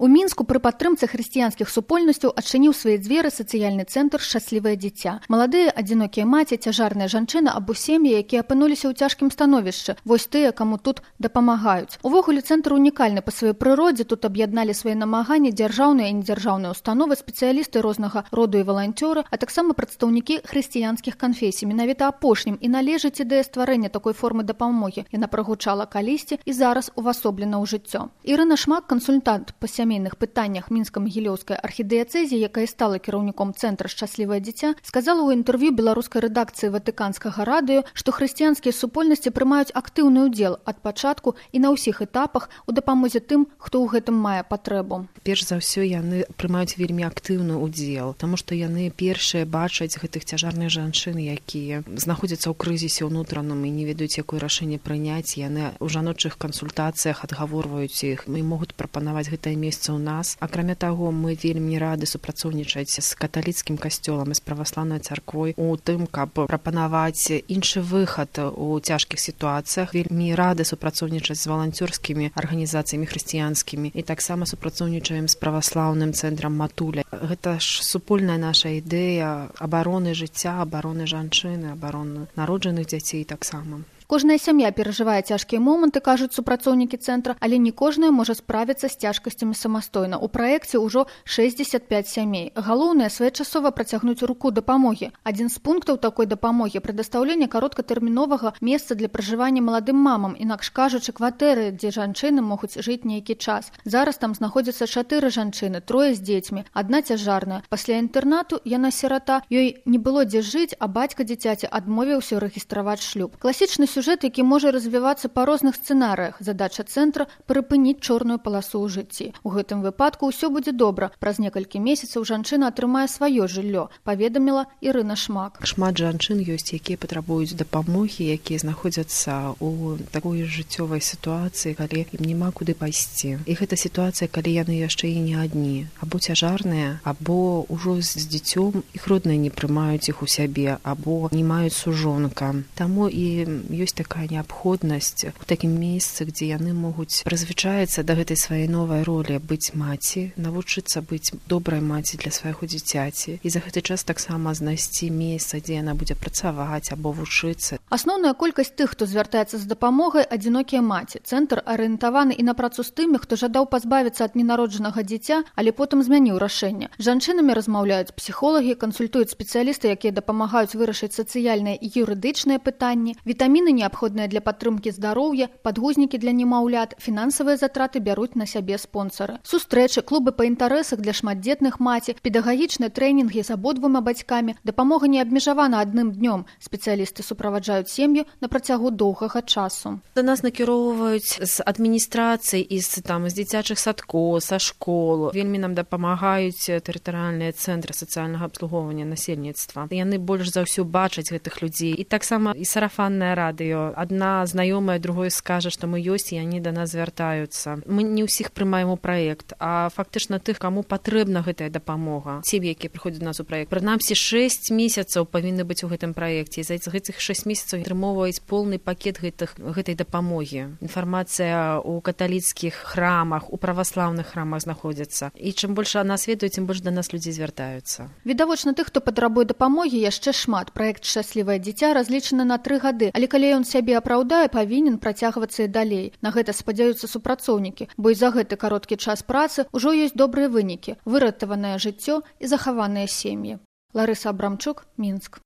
У Мінску пры падтрымцы хрысціянскіх супольнасцяў адчыніў свае дзверы сацыяльны цэнтр «Шчаслівае дзіця». Маладыя, адзінокія маці, цяжарныя жанчыны або сем'і, якія апынуліся ў цяжкім становішчы. Вось тыя, каму тут дапамагаюць. Увогуле цэнтр унікальны па сваёй прыродзе. Тут аб'ядналі свае намаганні дзяржаўныя і недзяржаўныя установы, спецыялісты рознага роду і валанцёры, а таксама прадстаўнікі хрысціянскіх канфесій. Менавіта апошнім і належыць ідэя стварэння такой формы дапамогі. Яна прагучала калісьці і зараз увасоблена ў жыццё. Ірына Шмак, кансультант па сямейных пытаннях Мінска-Магілёўскай архідыяцэзіі, якая стала кіраўніком цэнтра «Шчаслівае дзіця», сказала ў інтэрв'ю беларускай рэдакцыі Ватыканскага радыё, што хрысціянскія супольнасці прымаюць актыўны ўдзел ад пачатку і на ўсіх этапах у дапамозе тым, хто ў гэтым мае патрэбу. Перш за ўсё яны прымаюць вельмі актыўны ўдзел, таму што яны першыя бачаць гэтых цяжарных жанчын, якія знаходзяцца ў крызісе ўнутраным і не ведаюць, якое рашэнне прыняць. Яны ў жаночых кансультацыях адгаворваюць іх і могуць прапанаваць гэтае месца у нас. Акрамя таго, мы вельмі рады супрацоўнічаць з каталіцкім касцёлам і з праваслаўнай царквой у тым, каб прапанаваць іншы выхад у цяжкіх сітуацыях. Вельмі рады супрацоўнічаць з валанцёрскімі арганізацыямі хрысціянскімі і таксама супрацоўнічаем з праваслаўным цэнтрам «Матуля». Гэта ж супольная наша ідэя абароны жыцця, абароны жанчыны, абароны народжаных дзяцей таксама. Кожная сям'я перажывае цяжкія моманты, кажуць супрацоўнікі цэнтра, але не кожная можа справіцца з цяжкасцямі самастойна. У праекце ўжо 65 сямей. Галоўнае своечасова працягнуць руку дапамогі. Адзін з пунктаў такой дапамогі прадастаўленне кароткатэрміновага месца для пражывання маладым мамам, інакш кажучы, кватэры, дзе жанчыны могуць жыць нейкі час. Зараз там знаходзяцца 4 жанчыны, 3 з дзецьмі, адна цяжарная. Пасля інтэрнату яна сірата, ёй не было дзе жыць, а бацька дзіцяці адмовіўся рэгістраваць шлюб. Класічны сюжэт, які можа развівацца па розных сцэнарыях. Задача цэнтра – прыпыніць чорную паласу ў жыцці. У гэтым выпадку ўсё будзе добра. Праз некалькі месяцаў жанчына атрымае сваё жыллё, паведаміла Ірына Шмак. Шмат жанчын ёсць, якія патрабуюць дапамогі, якія знаходзяцца ў такой жыццёвай сітуацыі, калі ім няма куды пайсці. І гэта сітуацыя, калі яны яшчэ і не адні. Або цяжарныя, або ўжо з дзіцём, іх родныя не прымаюць іх у сябе, або не маюць сужонка. Таму і ёсць такая неабходнасць у такім месцы, дзе яны могуць прызвычаіцца да гэтай сваёй новай ролі быць маці, навучыцца быць добрай маці для свайго дзіцяці і за гэты час таксама знайсці месца, дзе яна будзе працаваць або вучыцца. Асноўная колькасць тых, хто звяртаецца з дапамогай, адзінокія маці. Цэнтр арыентаваны і на працу з тымі, хто жадаў пазбавіцца ад ненароджанага дзіця, але потым змяніў рашэнне. З жанчынамі размаўляюць псіхолагі, кансультуюць спецыялісты, якія дапамагаюць вырашыць сацыяльныя і юрыдычныя пытанні, вітаміны неабходныя для падтрымкі здароўя, падгузнікі для немаўлят, фінансавыя затраты бяруць на сябе спонсары. Сустрэчы, клубы па інтарэсах для шматдзетных маці, педагагічныя трэнінгі з абодвума бацькамі. Дапамога не абмежавана адным днём. Спецыялісты суправаджаюць сем'ю на працягу доўгага часу. Да нас накіроўваюць з адміністрацыі і з дзіцячых садкоў, са школ. Вельмі нам дапамагаюць тэрытарыяльныя цэнтры сацыяльнага абслугоўвання насельніцтва. Яны больш за ўсё бачаць гэтых людзей. І таксама і сарафаннае радыё. Адна знаёмая другой скажа, што мы ёсць, і яны да нас звяртаюцца. Мы не ўсіх прымаем у праект, а фактычна тых, каму патрэбна гэтая дапамога. Сем'і, якія прыходзяць у нас у праект. Прынамсі 6 месяцаў павінны быць у гэтым праекце. І за гэтых 6 месяцаў атрымоўваюць поўны пакет гэтай дапамогі. Інфармацыя ў каталіцкіх храмах, у праваслаўных храмах знаходзіцца. І чым больш нас ведаюць, тым больш да нас людзей звяртаюцца. Відавочна, тых, хто патрабуе дапамогі, яшчэ шмат. Праект «Шчаслівае дзіця» разлічаны на 3 гады, але калі ён сябе апраўдае, павінен працягвацца і далей. На гэта спадзяюцца супрацоўнікі, бо і за гэты кароткі час працы ўжо ёсць добрыя вынікі, выратаванае жыццё і захаваныя сем'і. Ларыса Абрамчук, Мінск.